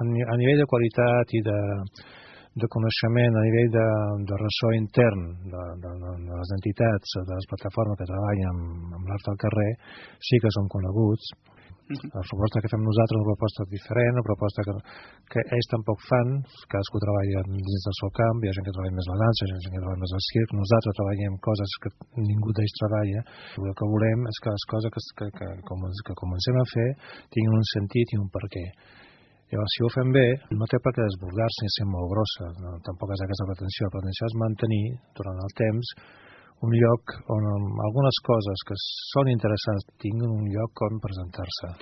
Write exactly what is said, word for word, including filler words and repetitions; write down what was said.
a nivell de qualitat i de, de coneixement, a nivell de, de ressò intern de, de, de les entitats, de les plataformes que treballen amb, amb l'art al carrer, sí que són coneguts. La proposta que fem nosaltres és una proposta diferent, una proposta que, que ells tampoc fan, cadascú treballa dins del seu camp, hi ha gent que treballa més la dansa, hi ha gent que treballa més el circ, nosaltres treballem coses que ningú d'ells treballa. El que volem és que les coses que, que, que, que comencem a fer tinguin un sentit i un perquè. Llavors, si ho fem bé, no té per què desbordar-se ni ser molt grossa, no, tampoc és aquesta pretensió, la pretensió és mantenir durant el temps un lloc on algunes coses que són interessants tinguin un lloc on presentar-se.